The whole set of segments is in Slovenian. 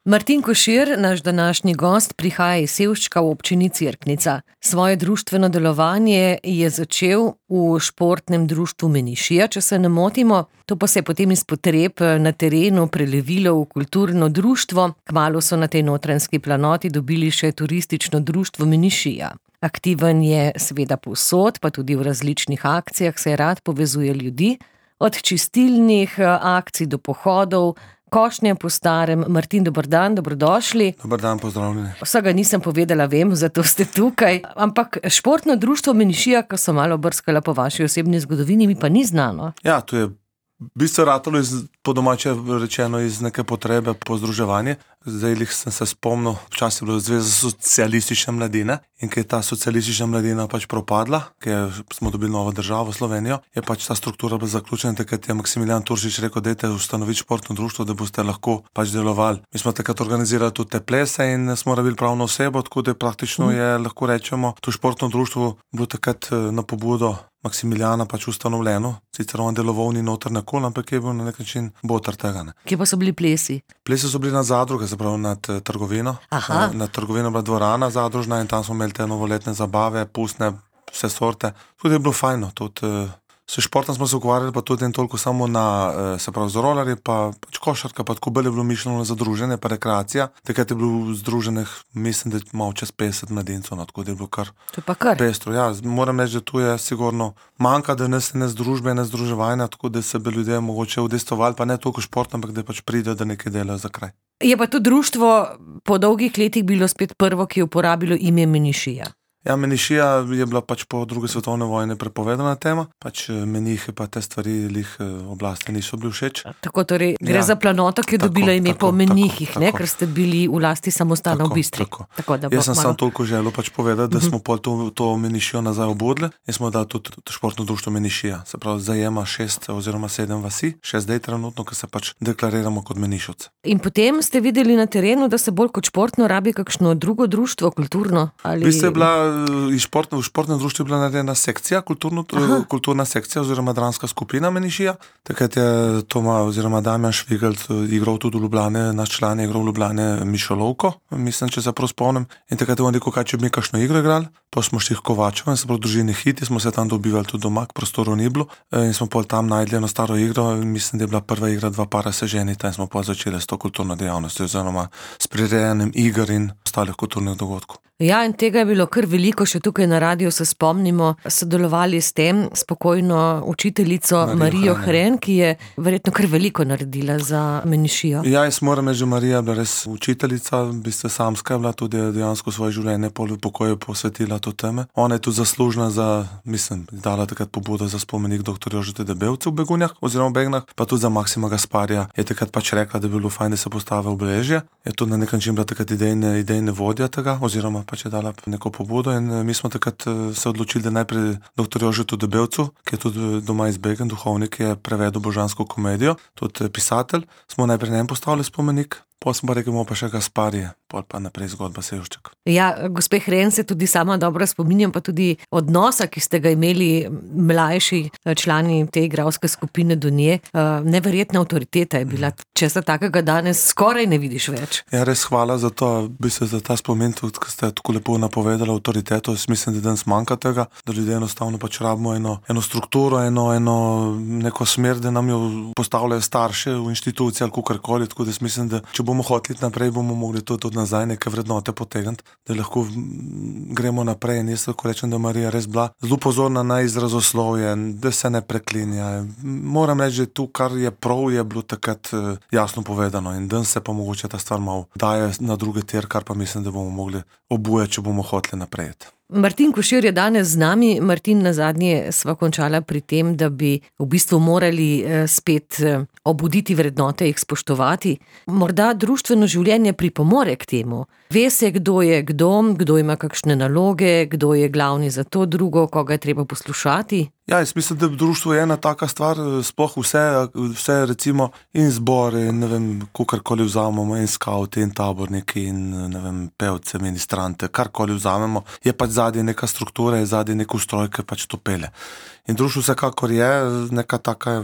Martin Košir, naš današnji gost, prihaja iz Sevščka v občini Cerknica. Svoje društveno delovanje je začel v športnem društvu Menišija, če se ne motimo. To pa se je potem iz potreb na terenu prelevilo v kulturno društvo. Kmalu so na tej Notranjski planoti dobili še turistično društvo Menišija. Aktiven je seveda povsod, pa tudi v različnih akcijah se rad povezuje ljudi. Od čistilnih akcij do pohodov, košnje po starem. Martin, dober dan, dobrodošli. Dober dan, pozdravljeni. Vsega nisem povedala, vem, zato ste tukaj. Ampak športno društvo Menišija, ko sem malo brskala po vaši osebni zgodovini, mi pa ni znano. Ja, to je v bistvu ratalo po domače rečeno iz neke potrebe po združevanje. Zdaj sem se spomnil, včasih je bila Zveza socialistične mladine in ko je ta socialistična mladina pač propadla, ker smo dobili novo državo, Slovenijo, je pač ta struktura bila zaključena, takrat je Maksimilijan Turšič rekel, dajte ustanoviti športno društvo, da boste lahko pač delovali. Mi smo takrat organizirali tudi te plese in smo rabili pravno osebo, tako da praktično je, lahko rečemo, to športno društvo bilo takrat na pobudo Maksimilijana pač ustanovljeno, sicer on deloval ni noter nikoli, ampak je bil na nek način boter tega. Ne. Kje pa so bili plesi? Plesi so bili nad zadruge, se pravi nad trgovino. Nad trgovino bila dvorana zadružna in tam smo imeli te novoletne zabave, pustne, vse sorte. Tudi je bilo fajno, tudi s športom smo se ukvarjali, pa tudi toliko samo na, se pravi, z rolerji, pa pač košarka, pa tako bolj je bilo mišljeno za druženje, pa rekreacija. Takrat je bilo združenih, mislim, da malo čez 50 mladincev, tako da je bilo kar pestro. Ja, moram reči, da tu je sigurno manjka, da ne združbe, ne združevanja, tako da se bi ljudje mogoče udejstvovali, pa ne toliko šport, ampak da pač pride, da nekaj delajo za kraj. Je pa to društvo po dolgih letih bilo spet prvo, ki je uporabilo ime Menišija. Ja, Menišija je bila pač po druge svetovne vojne prepovedana tema, pač menihe pa te stvari oblasti niso bili všeč. Tako torej gre za planoto, ki je dobila ime po menihih, ker ste bili v lasti samostana v Bistri. Jaz sem samo toliko želel pač povedati, da smo pol to Menišijo nazaj obodli in smo dali tudi športno društvo Menišija. Se pravi, zajema 6 oziroma 7 vasi, še zdaj trenutno, ko se pač deklariramo kot Menišovci. In potem ste videli na terenu, da se bolj kot športno rabi kakšno drugo društvo, kulturno? Ali... V športnem društvu je bila narejena sekcija, kulturna sekcija oziroma dramska skupina Menišija. Takrat je Toma oziroma Damjan Švigel igral tudi v Ljubljane, naš član je igral v Ljubljane Mišolovko, mislim, če se prav spomnim. In takrat je on rekel, kaj če bi mi kakšno igro igrali, pa smo šli v Kovačevo in se prav družini Hiti, smo se tam dobivali tudi doma, k prostoru ni bilo. In smo pol tam najdli eno staro igro, mislim, da je bila prva igra, dva para se ženita in smo pol začeli s to kulturno dejavnostjo oziroma s prirejanjem iger in ostalih kulturnih dogodkov. Ja, in tega je bilo kar veliko, še tukaj na radiju se spomnimo, sodelovali s tem spokojno učiteljico Marijo Hren, ki je verjetno kar veliko naredila za Menišijo. Ja, jaz moram reči, že Marija je bila res učiteljica, v bistvu samska je bila, tudi dejansko svoje življenje v pokoju posvetila to teme. Ona je tudi zaslužna za, mislim, dala takrat pobudo za spomenik dr. Jožeta Debevca v Begunjah oziroma v Begnah, pa tudi za Maksima Gasparija. Je takrat pač rekla, da bi bilo fajn, da se postavi obeležje. Je tudi na nek način bila takrat idejne vodja tega, oziroma pač je dala neko pobudo in mi smo takrat se odločili, da najprej dr. Jožetu Debevcu, ki je tudi doma iz Begen, duhovnik, je prevedel božansko komedijo, tudi pisatelj, smo najprej njem postavili spomenik. Potem smo pa rekli, pa še Gasparije, pol pa naprej zgodba Sevšček. Ja, gospe Hren se tudi sama dobro spominjam, pa tudi odnosa, ki ste ga imeli mlajši člani te igralske skupine do nje. Neverjetna avtoriteta je bila, česa takega danes skoraj ne vidiš več. Ja, res hvala za to, bi se za ta spomin, tudi, ko ste tako lepo napovedali avtoriteto, jaz mislim, da danes manjka tega, da ljudje enostavno pač rabimo eno strukturo, eno neko smer, da nam jo postavljajo starše v inštituciji ali kakorkoli, tako da mislim, da če bomo hoteli naprej, bomo mogli to tudi nazaj neke vrednote potegniti, da lahko gremo naprej. In jaz lahko rečem, da Marija res bila zelo pozorna na izrazoslovje, da se ne preklinja. Moram reči, da tu, kar je prav, je bilo takrat jasno povedano in danes se pa mogoče ta stvar malo daje na druge tir, kar pa mislim, da bomo mogli obujati, če bomo hoteli naprej. Martin Košir je danes z nami. Martin, nazadnje sva končala pri tem, da bi v bistvu morali spet obuditi vrednote, jih spoštovati. Morda društveno življenje pripomore k temu. Ve se, kdo je kdo ima kakšne naloge, kdo je glavni za to drugo, koga je treba poslušati. Ja, jaz mislim, da društvo je ena taka stvar, sploh vse recimo in zbore, ne vem, kakorkoli vzamemo, in skauti, in taborniki, in ne vem, pevce, ministrante, karkoli vzamemo, je pač zadnje neka struktura, je zadnje nek ustroj, ki pač to pele. In društvo vsekakor je neka taka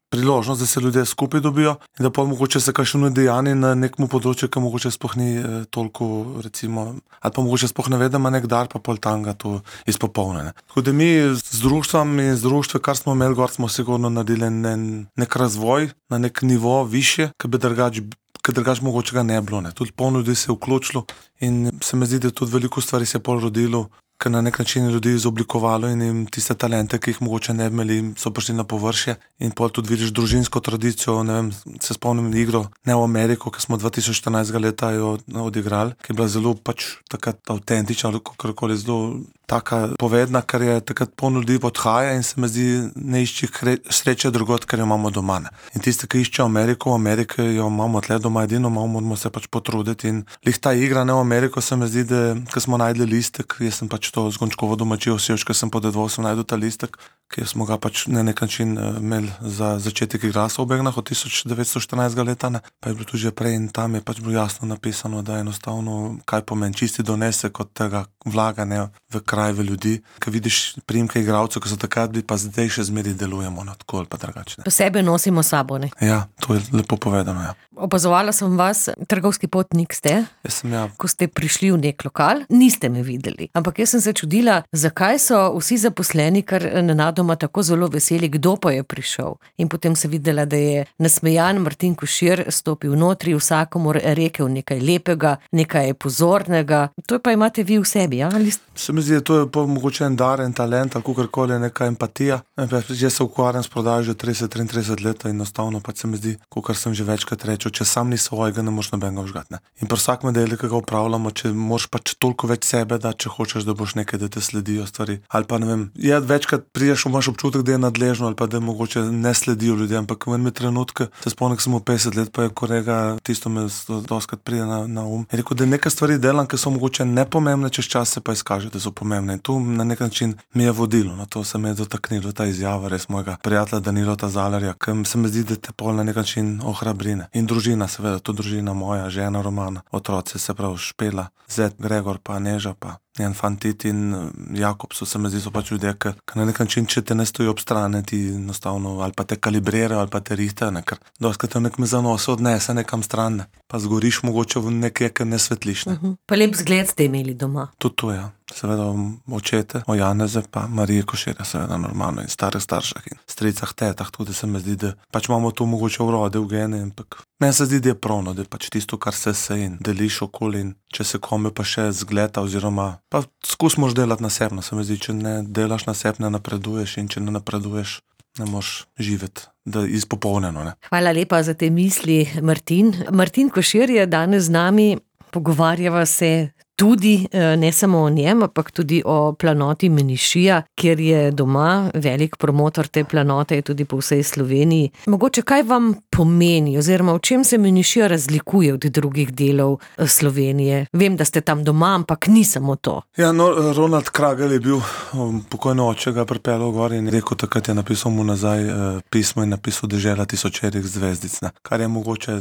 priložnost, da se ljudje skupaj dobijo in da pa mogoče se kakšno dejanje na nekem področju, ki mogoče sploh ni toliko, recimo, ali pa mogoče sploh ne ve, da ima nek dar, pa pol tanga to izpopolne. Tako da mi z društvom in z društvom, kar smo imeli gor, smo sigurno naredili nek razvoj na nek nivo više, ki bi drugače mogoče ga ne bilo. Tudi polno ljudi se je vključilo in se mi zdi, da tudi veliko stvari se je pol rodilo, ker na nek način ljudi izoblikovalo in jim tiste talente, ki jih mogoče ne bi imeli, so prišli na površje in pol tudi vidiš družinsko tradicijo, ne vem, se spomnim igro ne v Ameriko, ki smo 2014 leta jo odigrali, ki je bila zelo pač takrat avtentična, ali kakorkoli zelo taka povedna, ker je takrat polno ljudi odhaja in se mi zdi, ne išči sreče drugod, ker jo imamo doma. In tiste, ki iščejo Ameriko, v Ameriki jo imamo tle doma edino, moramo se pač potruditi in lih ta igra ne v Ameriko, se mi zdi, da ko smo najdli listek, jaz sem pač to Zgončkovo domačijo Sevč, ker sem podedoval, sem najdel ta listek, ki smo ga pač na nek način imeli za začetek igrasa v Begnah od 1914 leta, pa je bilo tudi že prej in tam je pač bilo jasno napisano, da enostavno kaj pomeni čisti donesek od tega vlaganja v kraj, v ljudi, ki vidiš priimke igralcev, ki so takrat bili, pa zdaj še zmeri delujemo na tako ali pa drugače. Posebej nosimo sabo, ne? Ja, to je lepo povedano, ja. Opazovala sem vas, trgovski potnik ste. Jaz sem, ja. Ko ste prišli v nek lokal, niste me videli. Ampak jaz sem se čudila, zakaj so vsi zaposleni kar nenadoma tako zelo veseli, kdo pa je prišel. In potem sem videla, da je nasmejan Martin Košir stopil notri, vsakomur rekel nekaj lepega, nekaj pozornega. To pa imate vi v sebi, ja? Se mi zdi, da to je pa mogoče en dar, en talent, ali kakorkoli neka empatija. Jaz se ukvarjam s prodajo že 30-33 let in enostavno pač se mi zdi, kakor sem že večkrat rečel, če sam ni svojega, ne moreš nobenega vžgati. In pri vsakem delu, ki ga upravljamo, če moraš pač toliko več sebe, da če hočeš, da boš nekaj, da te sledijo stvari. Ali pa ne vem, večkrat prideš, imaš občutek, da je nadležno ali pa da mogoče ne sledijo ljudje, ampak v enem trenutku, se spomnim, sem 50 let, pa je kolega, tisto me doskrat pride na Je rekel, da nekaj stvari delam, ki so mogoče nepomembne, čez čas se pa izkaže, da so pomembne. In tu na nek način mi je vodilo, na to se me je dotaknilo ta izjava res mojega prijatelja Danilota Zalarja, ki se mi zdi, da te pol na nek način ohrabrine. In družina, seveda, to družina moja, žena Romana, otroci, se pravi Špela, Zet, Gregor, pa Neža, pa njen fantit in Jakob, se mi zdi, so pač ljudje, ki na nek način, če te ne stoji ob strani, ti enostavno ali pa te kalibrirajo, ali pa te rihtajo, ker doskrat te nek me zanose odnese nekam stran, pa zgoriš mogoče v nekaj, kar ne svetliš. Pa lep zgled ste imeli doma. Tudi to, ja. Seveda očete, o Janeze, pa Marije Koširja, seveda normalno, in starih staršah in stricah, tetah, tudi se mi zdi, da pač imamo to mogoče urode v gene, ampak meni se zdi, da je pravno, da je pač tisto, kar se in deliš okoli in če se kome pa še zgleda oziroma pa skusmoš delati na sebno, se mi zdi, če ne delaš na sebi, ne napreduješ in če ne napreduješ, ne moš živeti, da je izpopolnjeno, ne. Hvala lepa za te misli, Martin. Martin Košir je danes z nami, pogovarjava se tudi, ne samo o njem, ampak tudi o planoti Menišija, kjer je doma, velik promotor te planote je tudi po vsej Sloveniji. Mogoče kaj vam pomeni, oziroma v čem se Menišija razlikuje od drugih delov Slovenije? Vem, da ste tam doma, ampak ni samo to. Ja, no, Ronald Kragel je bil pokojno oče, ga pripeljal gor in rekel, takrat je napisal mu nazaj pismo in napisal Dežela tisočerih zvezdic, ne. Kar je mogoče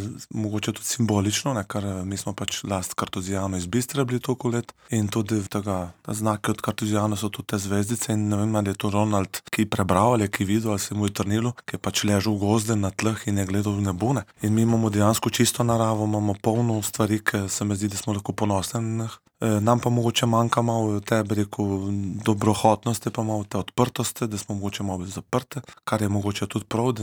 tudi simbolično, ne, ker mi smo pač last Kartuzijano iz Bistre bili toliko let in tudi ta znaki od Kartuzijana so tudi te zvezdice in ne vem, ali je to Ronald, ki je prebral ali ki je videl, ali se mu je trnilo, ki je pač ležal v gozde na tleh in je gledal v nebo, ne. In mi imamo dejansko čisto naravo, imamo polno stvari, ki se mi zdi, da smo lahko ponosni na njih. Nam pa mogoče manjka malo te, bi rekel, dobrohotnosti, pa malo te odprtosti, da smo mogoče malo zaprte, kar je mogoče tudi prav,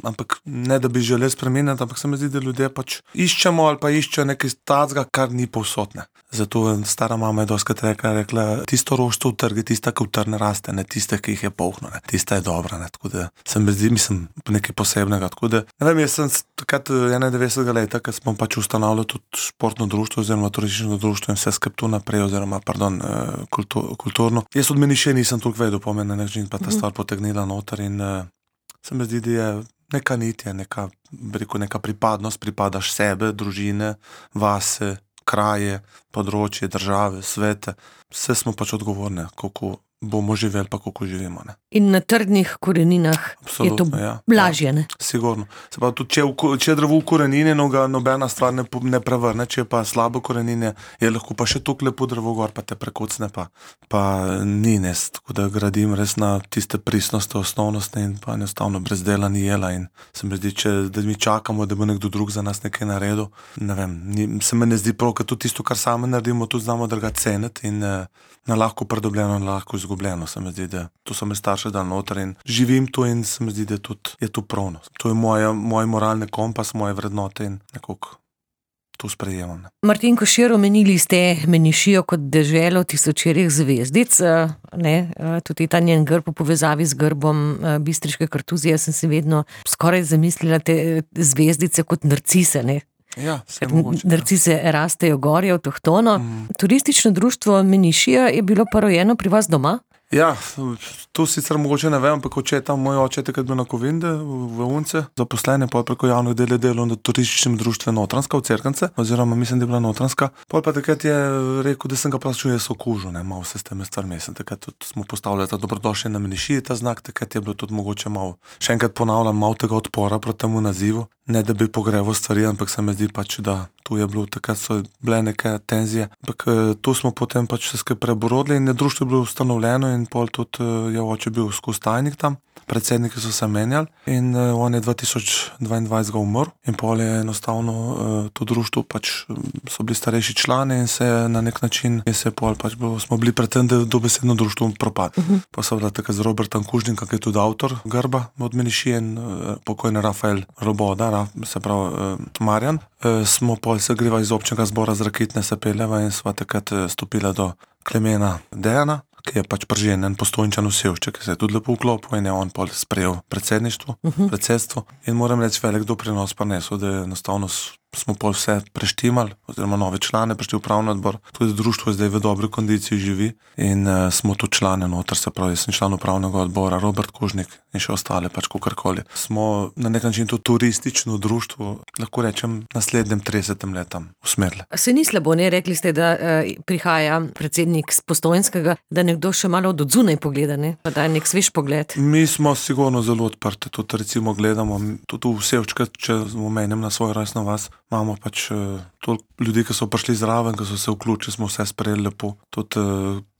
ampak ne, da bi želeli spremeniti, ampak se mi zdi, da ljudje pač iščemo ali pa iščejo nekaj tacga, kar ni povsod, ne. Zato stara mama je doskrat rekla, tisto roštvo v trgi, tista, ki v trne raste, ne tiste, ki jih je polno, ne, tista je dobra, ne, tako da se mi zdi, mislim, nekaj posebnega, tako da, ne vem, jaz sem takrat 91. leta, ko smo pač ustanavljali tudi športno društvo oziroma turistično društvo in vse tu naprej, oziroma, kulturno. Jaz od Menišija nisem toliko vedel, po meni na način pa ta stvar potegnila noter in se mi zdi, da je neka nitja, neka pripadnost, pripadaš sebe, družine, vase, kraje, področje, države, svete. Vse smo pač odgovorni, kako bomo živeli pa, kako živimo. Ne. In na trdnih koreninah Absolutno, je to ja. lažje, ne? Sigurno. Se pa tudi, če je drevo v korenine, ga nobena stvar ne prevrne, če je pa slabo korenine, je lahko pa še toliko lepo drevo gor, pa te prekocne, pa ni nes. Tako da gradim res na tiste pristnosti, osnovnosti in pa enostavno brez dela ni jela. In se mi zdi, da mi čakamo, da bo nekdo drug za nas nekaj naredil. Ne vem, se mi ne zdi prav, ker tudi tisto, kar sami naredimo, tudi znamo druga ceniti in na lahko pridobljeno, na lahko izgubljeno. Se mi zdi, da to so me starše dal noter in živim to in se mi zdi, da je to pravno. To je moj moralni kompas, moje vrednote in nekako to sprejemam. Ne. Martin Košir, omenili ste Menišijo kot deželo tisočerih zvezdic, ne, tudi ta njen grb v povezavi z grbom bistriške kartuzije, sem si vedno skoraj zamislila te zvezdice kot narcise, ne. Ja, mogoče, narcise rastejo gorje avtohtono. Turistično društvo Menišija je bilo pa rojeno pri vas doma? Ja, to sicer mogoče ne vem, ampak moj oče takrat bil na Kovinde v Unce, zaposlene pa preko javnih del je delal na turističnem društvu Notranjska v Cerknice, oziroma mislim, da je bila Notranjska. Pol pa takrat je rekel, da sem ga plačil jaz okužil, malo se s temi stvarmi. Takrat tudi smo postavljali ta dobrodošli na Menišiji, ta znak, takrat je bilo tudi mogoče malo, še enkrat ponavljam, malo tega odpora proti temu nazivu. Ne, da bi pogreval stvari, ampak se mi zdi pač, da tu je bilo, takrat so bile neke tenzije. Ampak tu smo potem pač se skupaj preborodili in društvo je bilo ustanovljeno in pol tudi je oče bil skozi tajnik tam. Predsedniki so se menjali in on je 2022 umrl in pol je enostavno to društvo pač so bili starejši člani in se na nek način smo bili pred tem, da dobesedno društvo propad. Pa so bila takrat z Robertom Kužnikom, ki je tudi avtor grba od Menišije in pokojni Rafael Roboda, se pravi Marjan. Smo pol se greva iz občnega zbora z Rakitne se peljeva in sva takrat stopila do Klemena Dejana, ki je pač prženjen Postojnčan v Sevšček, ki se je tudi lepo vklopil in je on pol sprejel predsedstvo. In moram reči, velik doprinos pa nesel, da enostavno smo pol vse preštimali, oziroma nove člane prišli v upravni odbor. Tudi društvo je zdaj v dobri kondiciji živi in smo tu člane noter, se pravi, jaz sem član upravnega odbora, Robert Kužnik in še ostale, pač kakorkoli. Smo na nek način to turistično društvo, lahko rečem, naslednjem 30 letam usmerili. Se ni slabo, ne? Rekli ste, da prihaja predsednik z Postojnskega, da nekdo še malo od odzunaj pogleda, ne? Pa da je nek svež pogled. Mi smo sigurno zelo odprti, tudi recimo gledamo, tudi v Sevščka, če omenim na svojo rojstno vas, imamo pač toliko ljudi, ki so prišli zraven, ki so se vključili, smo vse sprejeli lepo. Tudi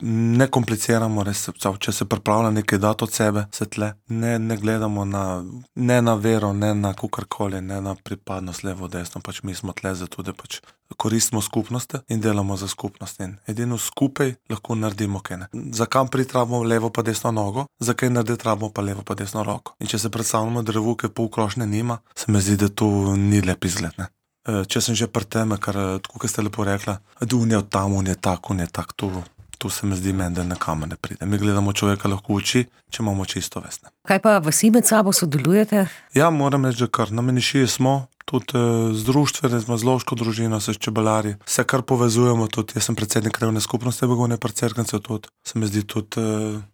ne kompliciramo, res, če se pripravlja nekaj dati od sebe, se tle. Ne gledamo ne na vero, ne na kakorkoli, ne na pripadnost levo, desno, pač mi smo tle zato, da pač koristimo skupnosti in delamo za skupnost. In edino skupaj lahko naredimo kaj. Zakaj pritrabimo levo pa desno nogo, zakaj narediti rabimo pa levo pa desno roko. In če se predstavljamo drevo, ki pol krošnje nima, se mi zdi, da to ni lep izgled, ne. Če sem že pri tem, kar tako, kot ste lepo rekla, da on je od tam, on je tak, to se mi zdi meni, da nekam ne pride. Mi gledamo človeka lahko v oči, če imamo čisto vest. Kaj pa vsi med sabo sodelujete? Ja, moram reči, da kar na Menišiji smo, tudi z društvom, z lovško družino, s čebelarji, se kar povezujemo, tudi jaz sem predsednik krajevne skupnosti Begunje pri Cerknici, tudi se mi zdi tudi,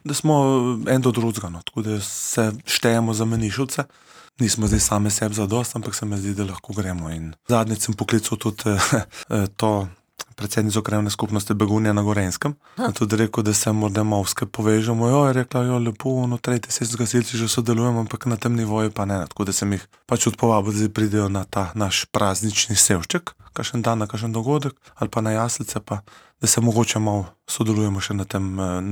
da smo en do drugega, tako da se štejemo za Menišovce. Nismo zdaj same sebi zadost, ampak se mi zdi, da lahko gremo. In zadnjič sem poklical tudi to predsednico krajevne skupnosti Begunje na Gorenjskem. Tudi rekel, da se morda malo skupaj povežemo. Je rekla, lepo, tretji sest gasilci že sodelujemo, ampak na tem nivoju pa ne. Tako da sem jih pač odpovabil, da zdaj pridejo na ta naš praznični Sevšček, kakšen dan, na kakšen dogodek, ali pa na jaslice, pa da se mogoče malo sodelujemo še na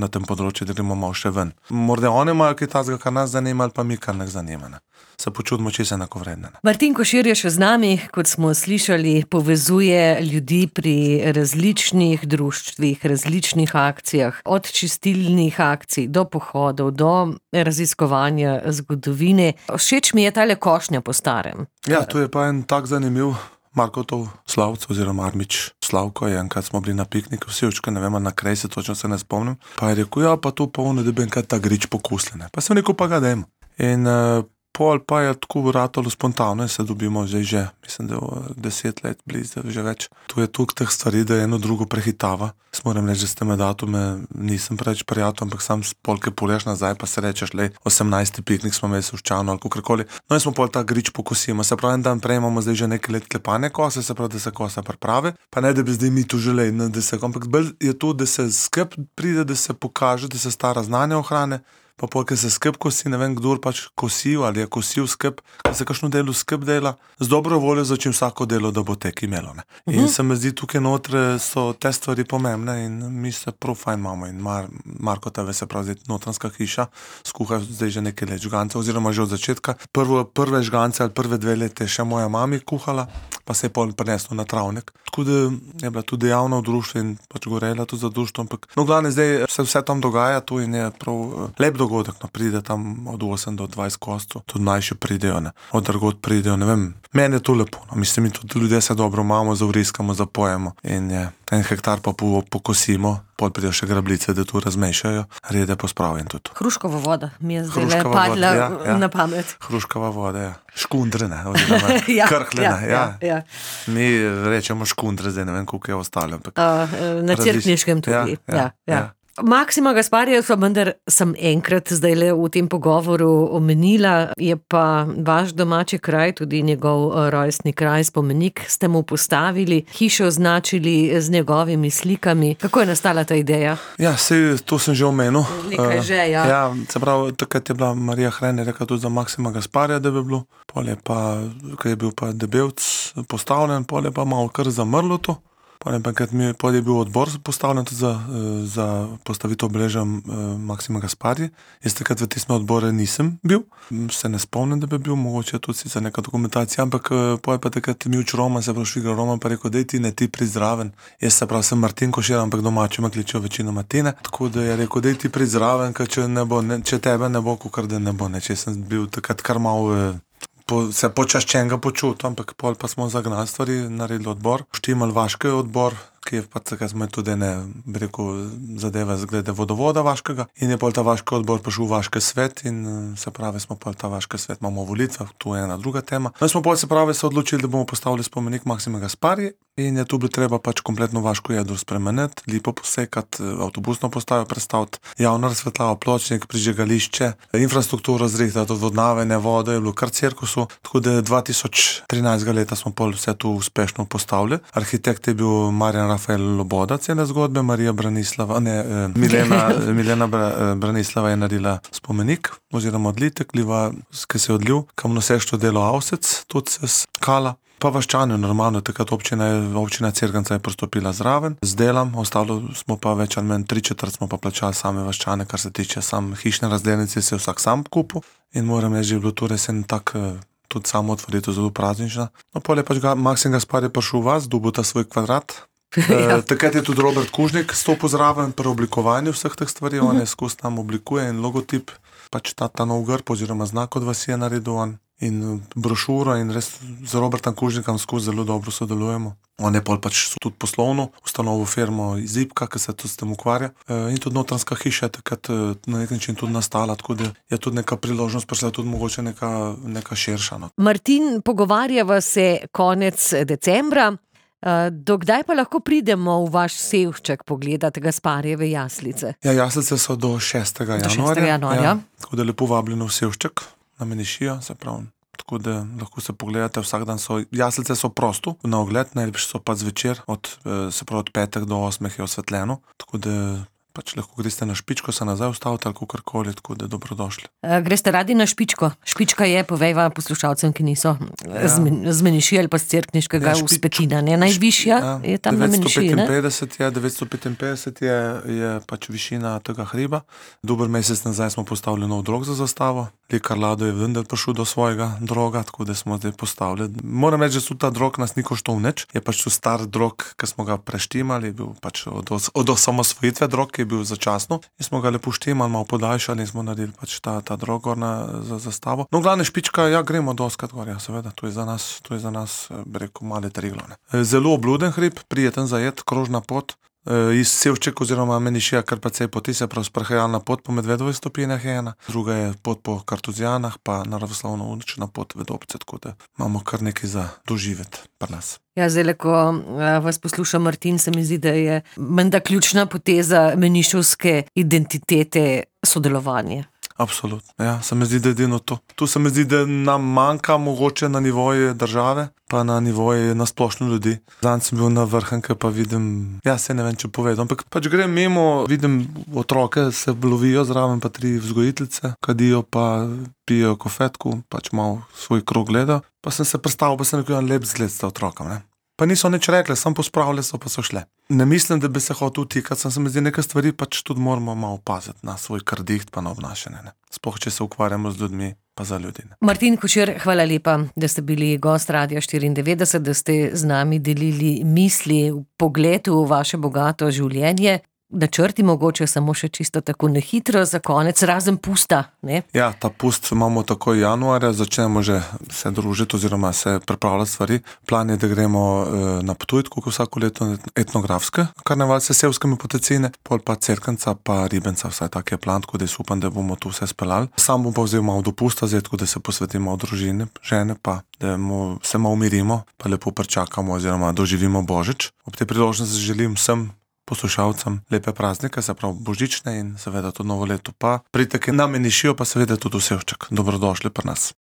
tem področju, da gremo malo še ven. Morda oni imajo kaj tazga, kar nas zanima, ali pa mi, kar nas zanima. Se počutimo čisto enakovredne. Martin Košir je še z nami, kot smo slišali, povezuje ljudi pri različnih društvih, različnih akcijah, od čistilnih akcij do pohodov, do raziskovanja zgodovine. Všeč mi je tale košnja po starem. Ja, to je pa en tak zanimiv Markotov Slavc oziroma Armič Slavko je, enkrat smo bili na pikniku v Sevščku, ne vem, na Krejsi, točno se ne spomnim. Pa je rekel, pa to pa ono, da bi enkrat ta grič pokusili. Pa sem rekel, pa ga dajmo. In Pol pa je tako ratalo spontavno in se dobimo zdaj že, mislim, da 10 let blizu, že več. Tu je toliko teh stvari, da eno drugo prehitava. Moram reči, da s teme datume nisem preveč prijatelj, ampak sam polke polješ nazaj, pa se rečeš, 18. piknik smo imeli v Ščanu ali kakorkoli. No in smo pol ta grič pokosimo. Se pravi, en dan prej imamo zdaj že nekaj let klepanje kose, se pravi, da se kosa pripravi. Pa ne, da bi zdaj mi tu želeli, da se, ampak bolj je to, da se skrb pride, da se pokaže, da se stara znanja ohrane. Pa polke se skrb kosi, ne vem, kdor pač kosil ali je kosil skrb, da se kakšno delo skrb dela, z dobro voljo začim vsako delo, da bo tek imelo. In se mi zdi, tukaj notre so te stvari pomembne in mi se prav fajn imamo. In Marko tebe, se pravi, notranska hiša, skuha zdaj že nekaj let žgance, oziroma že od začetka. Prve žgance ali prve 2 leta je še moja mami kuhala, pa se je pol prineslo na travnik. Tako da je bila tudi dejavna v društvu in pač gorela tudi za društvo, ampak no, glavne, zdaj se vse tam dogaja tu in je prav lep dogodek, no, pride tam od 8 do 20 kostov, tudi mlajši pridejo, ne, od drugod pridejo, ne vem, meni je to lepo, no, mislim, mi tudi ljudje se dobro imamo, zavriskamo, zapojemo in je 1 hektar pa pokosimo, pol pridejo še grablice, da tu razmešajo, rede pospravim tudi. Hruškova voda mi je zdaj padla na pamet. Hruškova voda, ja. Škundrene, oziroma krhljene, ja. Mi rečemo škundre, zdaj ne vem, koliko je ostalo. Na Cerkniškem tudi, ja. Maksima Gasparija sem enkrat zdajle v tem pogovoru omenila, je pa vaš domači kraj, tudi njegov rojstni kraj, spomenik, ste mu postavili, hišo označili z njegovimi slikami. Kako je nastala ta ideja? Ja, sej, to sem že omenil. Nekaj že, ja. Ja, se pravi, takrat je bila Marija Hren rekla tudi za Maksima Gasparija, da bi bilo, pol je pa, ko je bil pa Debevc postavljen, pol je pa malo kar zamrlo to. Pol je bil odbor postavljen tudi za postavitev obeležja Maksima Gasparija. Jaz takrat v tistem odboru nisem bil, se ne spomnim, da bi bil, mogoče tudi za neka dokumentacija, ampak pol je pa takrat Mivč Roman, se pravi Švigar Roman, pa rekel, dej ti ne ti pri zraven. Jaz se pravi, sem Martin Košir, ampak domači me kličejo večino Martine, tako da je rekel, dej ti pri zraven, ker če tebe ne bo, kakor da ne bo, ne, če sem bil takrat kar malo se počaščenega počutil, ampak pol pa smo zagnali stvari, naredili odbor, štimal Vaški odbor, ki je pa takrat smo tudi bi rekel, zadeve zglede vodovoda Vaškega in je pol ta Vaški odbor prišel v Vaški svet in se pravi, smo pol ta Vaški svet, imamo volitve, to je ena druga tema. No, smo pol se pravi se odločili, da bomo postavili spomenik Maksima Gasparija in je tu bilo treba pač kompletno Vaško jedro spremeniti, lipo posekati, avtobusno postajo prestaviti, javno razsvetljavo, pločnik, prižigališče, infrastrukturo zrihtati, odvodnavanje vode, je bilo kar cirkusu, tako da 2013. leta smo pol vse to uspešno postavili. Arhitekt je bil Marjan Rafael Loboda, cele zgodbe, Milena Branislava je naredila spomenik, oziroma odlitek, ki se je odlil, kam noseštvo delo Avsec, tudi se skala. Pa Vaščani, normalno, takrat občina Cerknica je pristopila zraven, z delom, ostalo smo pa več ali manj 3/4 smo pa plačali same Vaščane, kar se tiče hišne razdelnice, se je vsak sam kupil in moram reči, že je bilo to res en tak tudi samo otvoritev zelo praznična. No, pol je pač Maksim Gasparij prišel v vas, dobil ta svoj kvadrat. Takrat je tudi Robert Kužnik stopil zraven pri oblikovanju vseh teh stvari, on je skozi nam oblikuje in logotip, pač ta nov grb oziroma znak od vas je naredil on in brošuro in res z Robertom Kužnikom skozi zelo dobro sodelujemo. On je pol pač tudi poslovno ustanovil firmo Zipka, ki se tudi s tem ukvarja in tudi notranska hiša je takrat na nek način tudi nastala, tako da je tudi neka priložnost prišla, tudi mogoče neka širša. No. Martin, pogovarjava se konec decembra. Do kdaj pa lahko pridemo v vaš Sevšček pogledati Gasparijeve jaslice? Ja, jaslice so do 6. januarja. Ja, tako da lepo vabljeno v Sevšček na Menišijo, se pravi. Tako da lahko se pogledate, vsak dan jaslice so prosto, na ogled, najlepše so pa zvečer, od 5. do 8. je osvetljeno, tako da pač lahko greste na Špičko, se nazaj ustavite ali kakorkoli, tako da dobrodošli. Greste radi na Špičko? Špička je, povejva poslušalcem, ki niso z Menišije ali pa z Cerkniškega Vzpetina, ne? Najvišja je tam na Menišiji, ne? 955 je pač višina tega hriba. Dober mesec nazaj smo postavili nov drog za zastavo. Lekar Lado je vendar prišel do svojega droga, tako da smo zdaj postavili. Moram reči, da ta drog nas ni koštal nič. Je pač to star drog, ki smo ga preštimali, bil pač od osamosvojitve drog, ki je bil začasno. In smo ga lepo štimali, malo podaljšali in smo naredili pač ta drog gor za zastavo. No, glavne Špička, ja, gremo doskrat gor, ja, seveda, to je za nas, bi rekel, male Triglav. Zelo obluden hrib, prijeten zajet, krožna pot. Iz Sevček oziroma Menišija kar precej poti, se pravi sprehajalna pot po Medvedovih stopinjah je ena, druga je pot po Kartuzijanah, pa naravoslovno uničena pot Vedobce, tako da imamo kar nekaj za doživeti pri nas. Ja, zdaj, ko vas posluša Martin, se mi zdi, da je menda ključna poteza menišovske identitete sodelovanje. Absolutno, ja, se mi zdi, da je edino to. Tu se mi zdi, da nam manjka mogoče na nivoju države, pa na nivoju nasplošno ljudi. Zanj sem bil na Vrhunke, pa vidim, ja, se ne vem, če povedam, ampak pač grem mimo, vidim otroke, se lovijo zraven, pa 3 vzgojiteljice, kadijo pa pijejo kofetku, pač malo svoj krog gledajo. Pa sem se predstavil, pa sem rekel, lep zgled sta otrokom, ne. Pa niso nič rekli, sam pospravili so, pa so šle. Ne mislim, da bi se hotel vtikati, se mi zdi, nekaj stvari pač tudi moramo malo paziti na svoj krdiht pa na obnašanje, ne. Sploh, če se ukvarjamo z ljudmi, pa za ljudi, ne. Martin Košir, hvala lepa, da ste bili gost Radia 94, da ste z nami delili misli, pogled v vaše bogato življenje. Načrti mogoče samo še čisto tako nehitro za konec, razen pusta, ne? Ja, ta pust imamo tako januarja, začnemo že se družiti oziroma se pripravljati stvari. Plan je, da gremo na Ptuj, tako kot vsako leto etnografske karneval s sevskimi potecine, pol pa Cerkvenca pa Ribenca, vsaj tak je plan, tako da jaz upam, da bomo tu vse speljali. Sam bom pa vzel malo dopusta, zdaj tako da se posvetimo družini, žene pa, da se malo umirimo, pa lepo pričakamo oziroma doživimo Božič. Ob tej priložnosti želim vsem poslušalcem lepe praznike, se pravi božične in seveda to novo leto pa. Pridite na Menišijo, pa seveda tudi v Sevček. Dobrodošli pri nas.